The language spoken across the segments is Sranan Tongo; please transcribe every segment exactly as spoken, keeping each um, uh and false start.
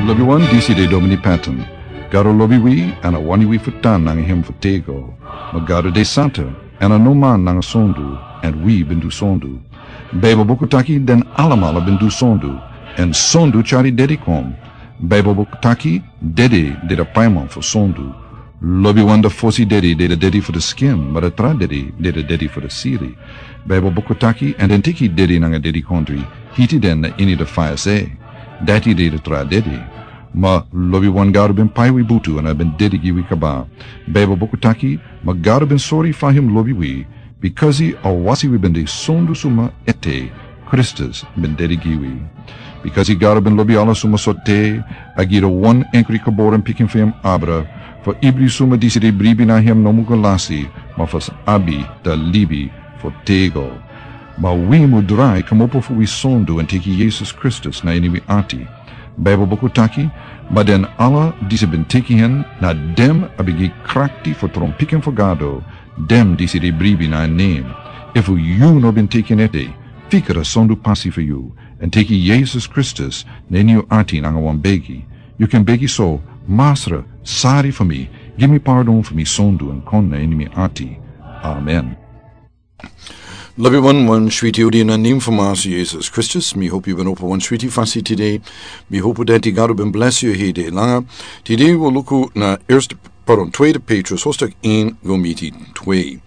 Lobi wan, disi de Domini Patton. Gado lobi wi, èn a wani wi fu tan nanga hem fu tego. Ma Gado de santa, èn a no man nanga sondu, èn wi ben du sondu. Baibel buku taki den alamala ben du sondu, èn sondu tyari dedi kon. Baibel buku taki dede de da paiman fu sondu. Lobi wan, da fosi dedi de da dedi fu da skin, ma da tra dedi de da dedi fu da siri. Baibel buku taki, èn den teki dedi nanga dedikondri, hiti den na ini da faya se. Dati de da tra dedi. Ma lobi wan, Gado ben pai wi butu èn a ben dedi gi wi kaba. Baibel buku taki, ma Gado ben sori fa hem lobi wi, bikasi a wasi wi ben de sondu suma ete, Kristus ben dedi gi wi. Bikasi Gado ben lobi ala suma sorte, a gi da wan enkri geboren pikin fu hem abra, fu ibri suma disi de bribi na hem no mu go lasi, ma fu sa abi da libi fu tego. Ma wi mu drai kmopo fu wi sondu èn teki Yesus Kristus na ini wi ati. Baibel buku taki, ma den ala disi ben teki hen, na dem a ben gi krakti fu tron pikin fu Gado, dem disi de bribi na en nen. Efu yu no ben teki en ete, fika da sondu pasi fu yu, èn teki Yesus Kristus na ini yu ati nanga wan begi. Yu kan begi so: Masra, sari fu mi, gi mi pardon fu mi sondu èn kon na ini mi ati. Amen. Lobi wan, wan switi odi na nen fu Masra Yesus Kristus. Mi hopu yu ben opo wan switi fasi tide. Mi hopu dati Gado ben blesi yu hede langa. Tide wi luku na eerste, pardon, tweede Petrus, hoofdstuk een, go miti twee.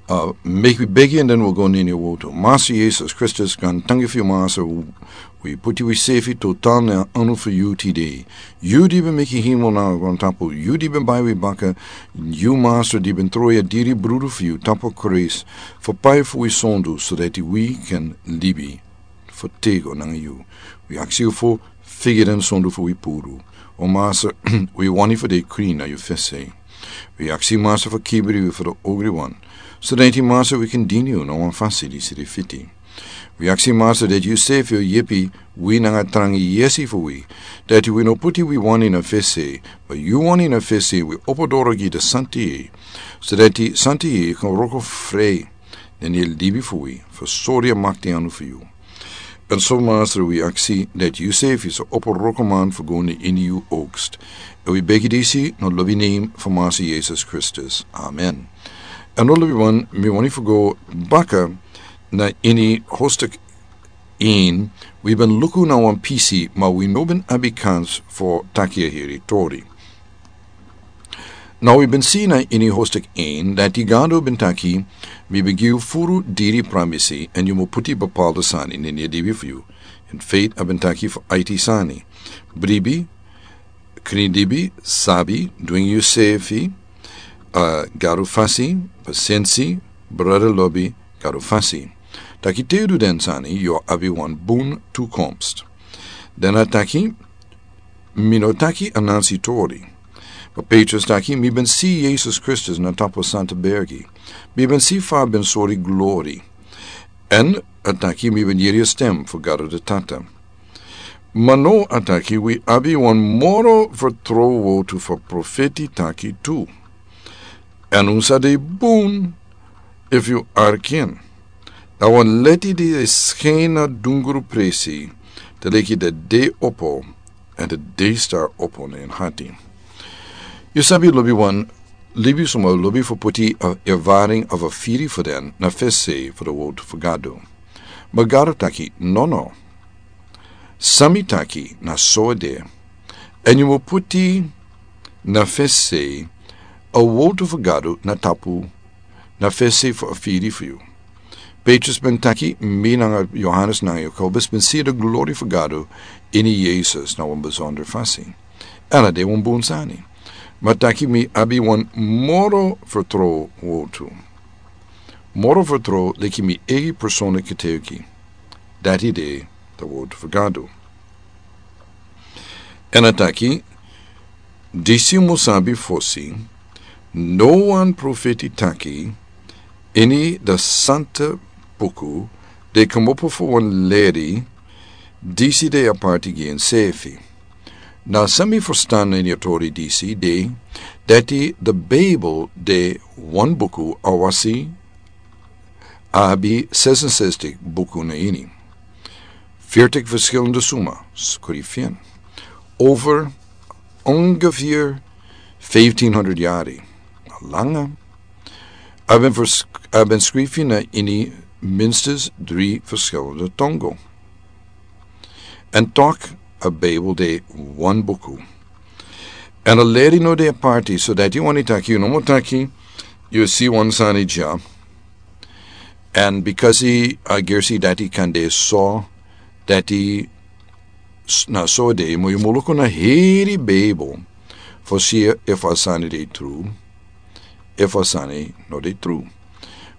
Uh, meki wi begi èn den wi go na ini a wotu. Masra Yesus Kristus, gaantangi fu yu, Masra, wi puti wi sefi total na anu fu yu tide. Yu di ben meki hemel nanga grontapu, yu di ben bai wi baka, yu, Masra, di ben tron yu diri brudu fu yu tapu Krais, fu pai fu wi sondu, so dati wi kan libi fu tego nanga yu. Wi aksi yu fu figi den sondu fu wi puru. O Masra, wi wani fu de krin na yu fesi. Wi aksi, Masra, fu kibri wi fu da ogri wan, so dati, Masra, wi kan dini yu na wan fasi disi de fiti. Wi aksi, Masra, dati yu sefi o yepi wi nanga trangi yesi fu wi, dati wi no puti wi wani na fesi, ma yu wani na fesi, wi opo doro gi da Santa Yeye, so dati Santa Yeye kan wroko fri na ini a libi fu wi, fu sori a makti anu fu yu. Èn so, Masra, wi aksi dati yu sefi sa opo wroko man fu go na ini yu oogst. Èn wi begi disi na lobi nen fu Masra Yesus Kristus. Amen. Èn now, lobi wan, mi wani fu go baka na ini hoofdstuk een, wi ben luku na wan pisi, ma wi no ben abi kans fu taki a heri tori. Now wi ben si na ini hoofdstuk een, dati Gado ben taki, mi ben gi yu furu diri pramisi, èn yu mu puti bepaalde sani na ini a libi fu yu. In feite, a ben taki fu aiti sani. Bribi, krin libi, sabi, dwingi yusefi, uh, Gado fasi, pasensi, brada lobi, Gado fasi. Taki te yu du den sani, yu o abi wan bun toekomst. Dan a taki, mi no taki anansi tori. Ma Petrus taki, mi ben si Yesus Kristus na tapu Santa Bergi. Mi ben si fa a ben sori glori. Èn a taki, mi ben yere a stem fu Gado da Tata. Ma now a taki, wi abi wan moro fertrow wotu fu profeti taki tu. Èn un sa de bun efu yu arki en. Na wan leti di e skin na dungru presi, te leki de dei opo, èn de dei star opo na en hati. Yu sabi, lobi wan, libi suma lobi fu puti a ervaring of a firi fu den na fesi fu da wotu fu Gado. Ma Gado taki, no, no. San mi taki na so a de. Èn yu mu puti na fesi a wotu fu Gado na tapu, na fesi fu a firi fu yu. Petrus ben taki, mi nanga Yohanes nanga Jakobus ben si da glori fu Gado ini Yesus na wan besonder fasi. Èn a de wan bun sani. Ma taki, mi abi wan moro fertrow wotu. Moro fertrow leki mi eigi personlik getuigi. Dati de da wotu fu Gado. Èn a taki, disi yu mu sabi fosi, no wan profeti taki, ini da santa buku, de kmopo fu wan leri, disi de aparti gi ensefi. Na san mi ferstan ini a tori disi de, dati da Bijbel de wan buku, awasi a abi zesenzestig buku na ini. Veertig verschillende suma, skrifi en. Over ongeveer fifteen hundred yari langa, a ben skrifi na ini minstens dri verschillende tongo. En tok a Bijbel de wan buku. En a leri no de a parti, so dati yu wani taki, yu no mo taki, yu si wan sani dya. En because a gersi dati kan de so, dati na so de, mo yu mo luku na heri Bijbel for si if a sani de tru, if a sani no de tru.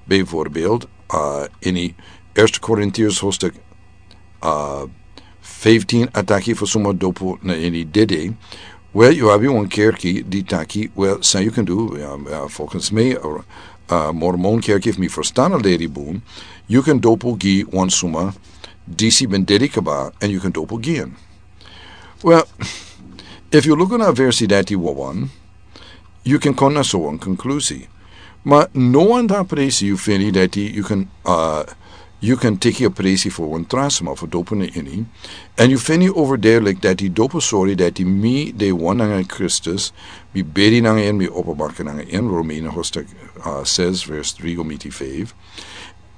Bijvoorbeeld, uh, ini Eerste Korintiërs hoofdstuk uh, fifteen a taki fu suma dopu na ini dede. Wel, yu abi wan kerki di taki, wel, san yu kan du, volgens mi, uh, Mormon kerki, fu mi verstan a leri bun, yu kan dopu gi wan suma disi ben dede kaba, en yu kan dopu gi en. Wel, if yu luku na versi dati wawan, yu kan kon na so wan konklusi. Ma no wan ta presi yu feni dati yu kan, uh, yu kan teki a presi fu wan tra suma fu dopu na ini. En yu feni overduidelijk dati dopu sori dati mi de wan nanga Kristus, mi beri nanga en, mi opo baka nanga en, Romeinen hoofdstuk uh, zes vers drie go miti vijf.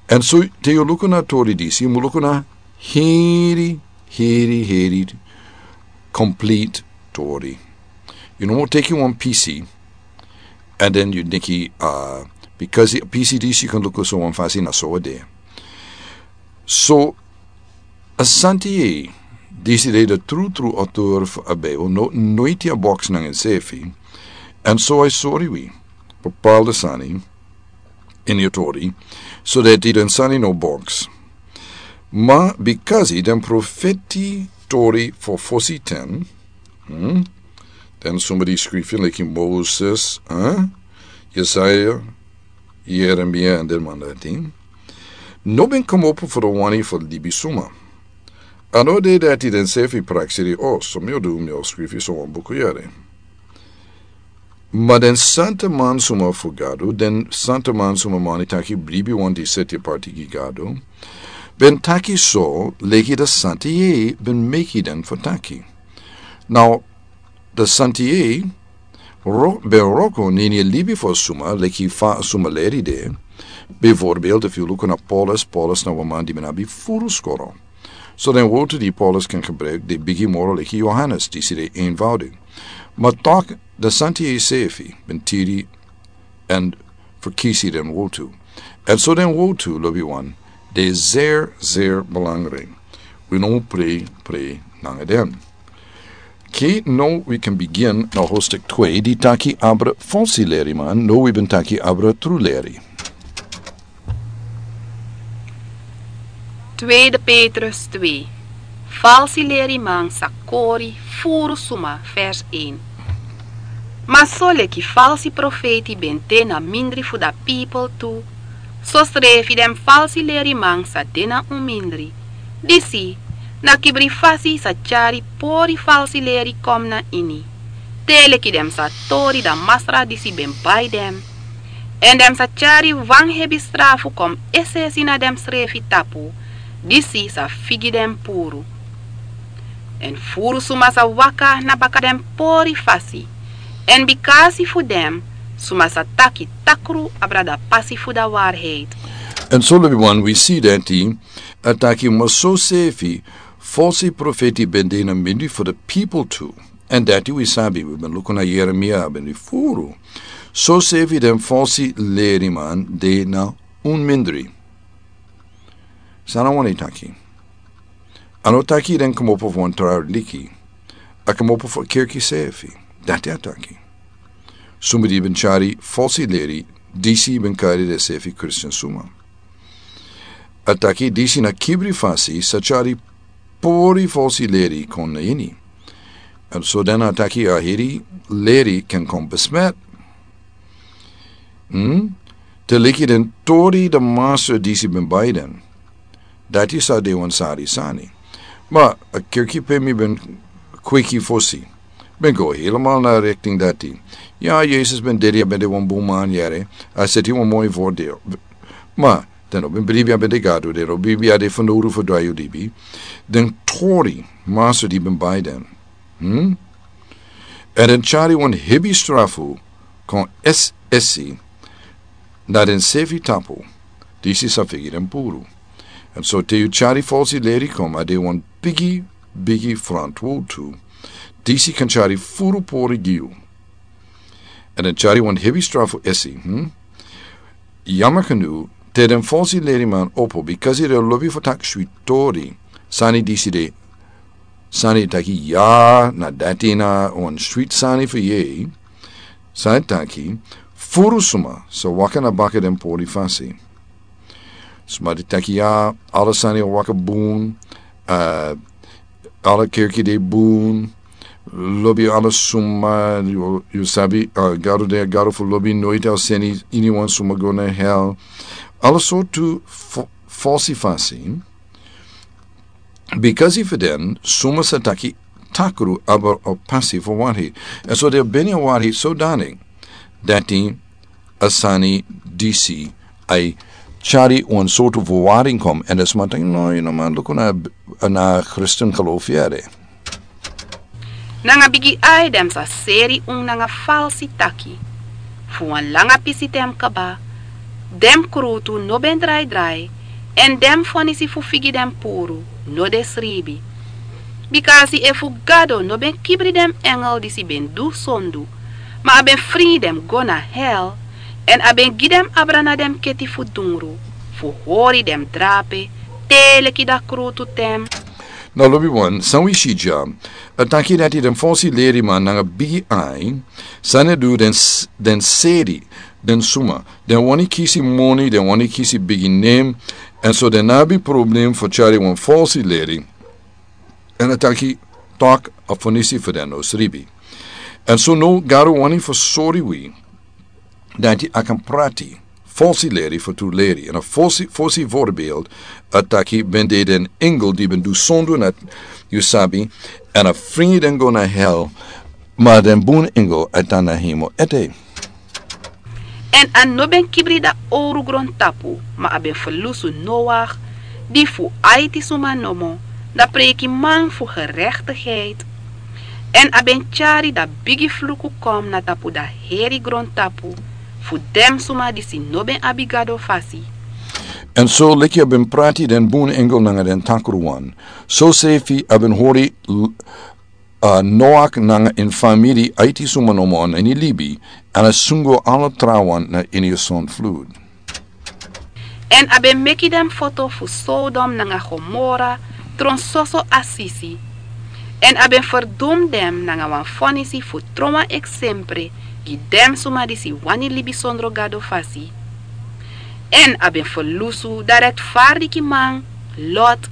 En so te yu luku na tori disi, yu mu luku na heri, heri, heri complete tori. Yu no mo teki wan pisi, and then yu denki, uh, because a pisi disi yu kan luku so wan fasi na so a de. So a santi yei, disi de de tru tru auteur fu a Bijbel, no, noiti a box nanga ensefi. En so a sori wi bepaalde sani ini a tori, so dati den sani no box. Ma because den profeti tori fu fosi ten, hmm? Den suma di skrifi leki Moses, eh? Jesaja, Jeremia en den man dati, no ben komopo fu den wani fu libi suma. A no de dati den sefi prakseri, o, so mi o du, mi o skrifi so wan buku yere. Ma den santa man suma fu Gado, den santa man suma mani taki bribi wan di seti parti gi Gado, ben taki so leki den santa yei ben meki den fu taki. Now, den santa yei ben wroko na ini a libi fu a suma leki fa a suma leri de. Bijvoorbeeld, efu yu luku na Paulus, Paulus na wan man di ben abi furu skoro. So den wortu di Paulus kan gebruik, de bigi moro leki Johannes, disi de eenvoudig. Ma tok den santa yei sefi ben tiri en verkisi den wortu. En so den wortu, lobi wan, de zeer, zeer belangrijk. Wi no mu prei, prei nanga den. Oké, now wi kan begin na hoofdstuk twee, di taki abra falsi leriman, now wi ben taki abra tru leri. Tweede Petrus twee. Falsi leriman sa kori furu suma, vers een. Ma so leki falsi profeti ben de na mindri fu da pipel tu, so srefi den falsi leriman sa de na un mindri. Disi, na kibri fasi sa tyari pori falsi leri kom na ini. Te leki den sa tori da masra disi ben bai den. En den sa tyari wan hebi strafu kom es'esi na den srefi tapu, disi sa figi den puru. En furu suma sa waka na baka den pori fasi. En bikasi fu den, suma sa taki takru abra da pasi fu da waarheid. En so lobi wan wi si dati, a taki ma so sefi, falsi profeti ben de na mindri fu da pipel tu. En dati wi sabi, wi ben luku na Jeremia ben di furu. So sefi den falsi leriman de na un mindri. San a wani taki. A no taki den komopo fu wan tra liki. A komopo fu kerki sefi. Dati a taki. Suma di ben tyari falsi leri, disi ben kari den sefi Christian suma. A taki disi na kibri fasi sa tyari pori falsi leri kon na ini. En so den a taki a heri leri kan kon besmet. Hmm? Te leki den tori da masra disi ben bai den. Dati sa de wan sari sani. Ma a kerki pe mi ben kweki fosi. Ben go helemaal na richting dati. Ya, Yesus ben dede, a ben de wan bun man yere. A seti wan moi voordeel. Ma den no ben bribi a ben de Gado, den no bribi a de fanowdu fu drai yu libi. Den tori masra di ben bai den. Èn den tyari wan hebi strafu kon esi na den sefi tapu, disi sa figi den puru. Èn so te yu tyari falsi leri kon, a de wan bigi bigi frantwowtu, disi kan tyari furu pori gi yu. Èn den tyari wan hebi strafu esi. Yama kanu te den falsi leriman opo, bikasi den lobi fu taki switi tori, sani disi de sani taki ya na dati na wan switi sani fu yei. Sani taki furu suma sa waka na baka den pori fasi. Suma di taki ya ala sani waka bun. Ala kerki de bun. Lobi ala suma yu sabi, gado de a gado fu lobi noiti a seni ini wan suma go na hel. Ala sortu falsi fasi. Bikasi fu den suma sa taki takru abra o pasi fu wari. Èn so den beni a wari so dani dati a sani disi a e tyari wan sortu fu wari kon èn den suma taki no yu no man luku na kristin gelofi ede. Nanga bigi ai den sa seri un nanga falsi taki. Fu wan langa pisi ten kaba den krutu no ben drai drai. Èn den fonisi fu figi den puru no de sribi. Bikasi efu gado no ben kibri den engel disi ben du sondu, ma a ben fri den go na hel, èn a ben gi den abra na den keti fu dungru fu hori den drape te leki dan krutu ten. Na lobi wan san wi si dya a taki dati den falsi leriman nanga bigi ai san e du den seri den suma den wani kisi moni den wani kisi bigi nem. Èn so den no abi problem fu tyari wan falsi leri. Èn a taki tok a fonisi fu den no sribi. Èn so no gado wani fu sori wi dati a kan prati falsi leri fu tru leri èn a fosi fosi vorbeeld. A taki ben de den engel di ben du sondu na yu sabi. Èn a fringi den go na hel. Ma den bun engel a tan na hemel ete. Èn a no ben kibri dan owru grontapu ma a ben ferlusu noach, di fu aiti suma nomo, dan preikiman fu gerektigheid. Èn a ben tyari dan bigi fluku kon na tapu dan heri grontapu fu den suma disi no ben abi gado fasi. Èn so leki a ben prati den bun engel nanga den takru wan, sosefi a ben hori noach nanga en famiri aiti suma nomo na ini libi. Èn a sungo ala trawan na ini a son flud. Èn a ben meki den foto fu sodom nanga gomora tron soso asisi. Èn a ben ferdum den nanga wan fonisi fu tron wan eksempre gi den suma disi wani libi sondro gado fasi. Èn a ben ferlusu dan rektfardiki man lot,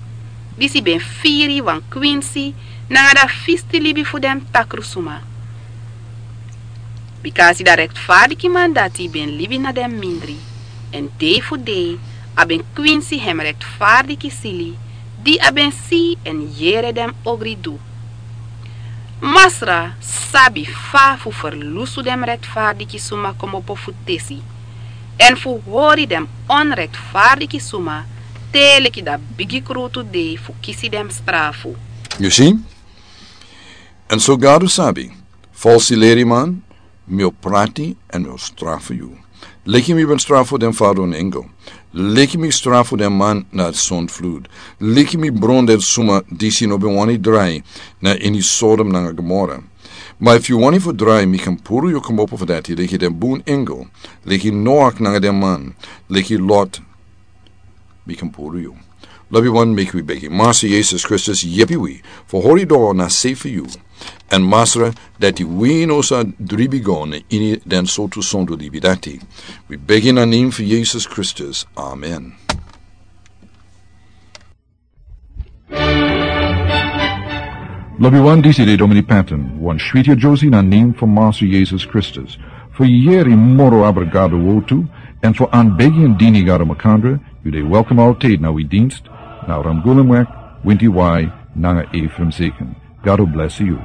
disi ben firi wan kwinsi nanga dan fisti libi fu den takru suma. Bikasi dan rektfardiki man dati ben libi na den mindri, èn dei fu dei a ben kwinsi hem rektfardiki sili di a ben si èn yere den ogri du. Masra sabi fa fu ferlusu den rektfardiki suma komopo fu tesi, èn fu hori den onrektfardiki suma te leki dan bigi krutu dei fu kisi den strafu. Yu si? Èn so gado sabi, falsi leriman, mi o prati èn mi o strafu yu. Leki mi ben strafu den fadon engel, leki mi strafu den man na son flud, leki mi bron den suma disi no ben wani drai na ini sodom nanga gomora. Ma efu yu wani fu drai mi kan puru yu komopo fu dati leki den bun engel, leki noach nanga den man, leki lot. Mi kan puru yu. Lobi wan meki wi begi masra yesus kristus yepi wi fu hori doro na sei fu yu. Èn masra, dati wi no sa dribi go na ini den sortu sondu libi dati. Wi begi na nen fu yesus kristus, amen. Lobi wan, disi de domini paten wan switi a josi na nen fu masra yesus kristus. Fu yeri moro abra gado wotu, èn fu an begi èn dini gado makandra. Yu de welkom altid na wi dinst na ramgulemwek, winti wai, nanga efrem seken. Gado blesi yu.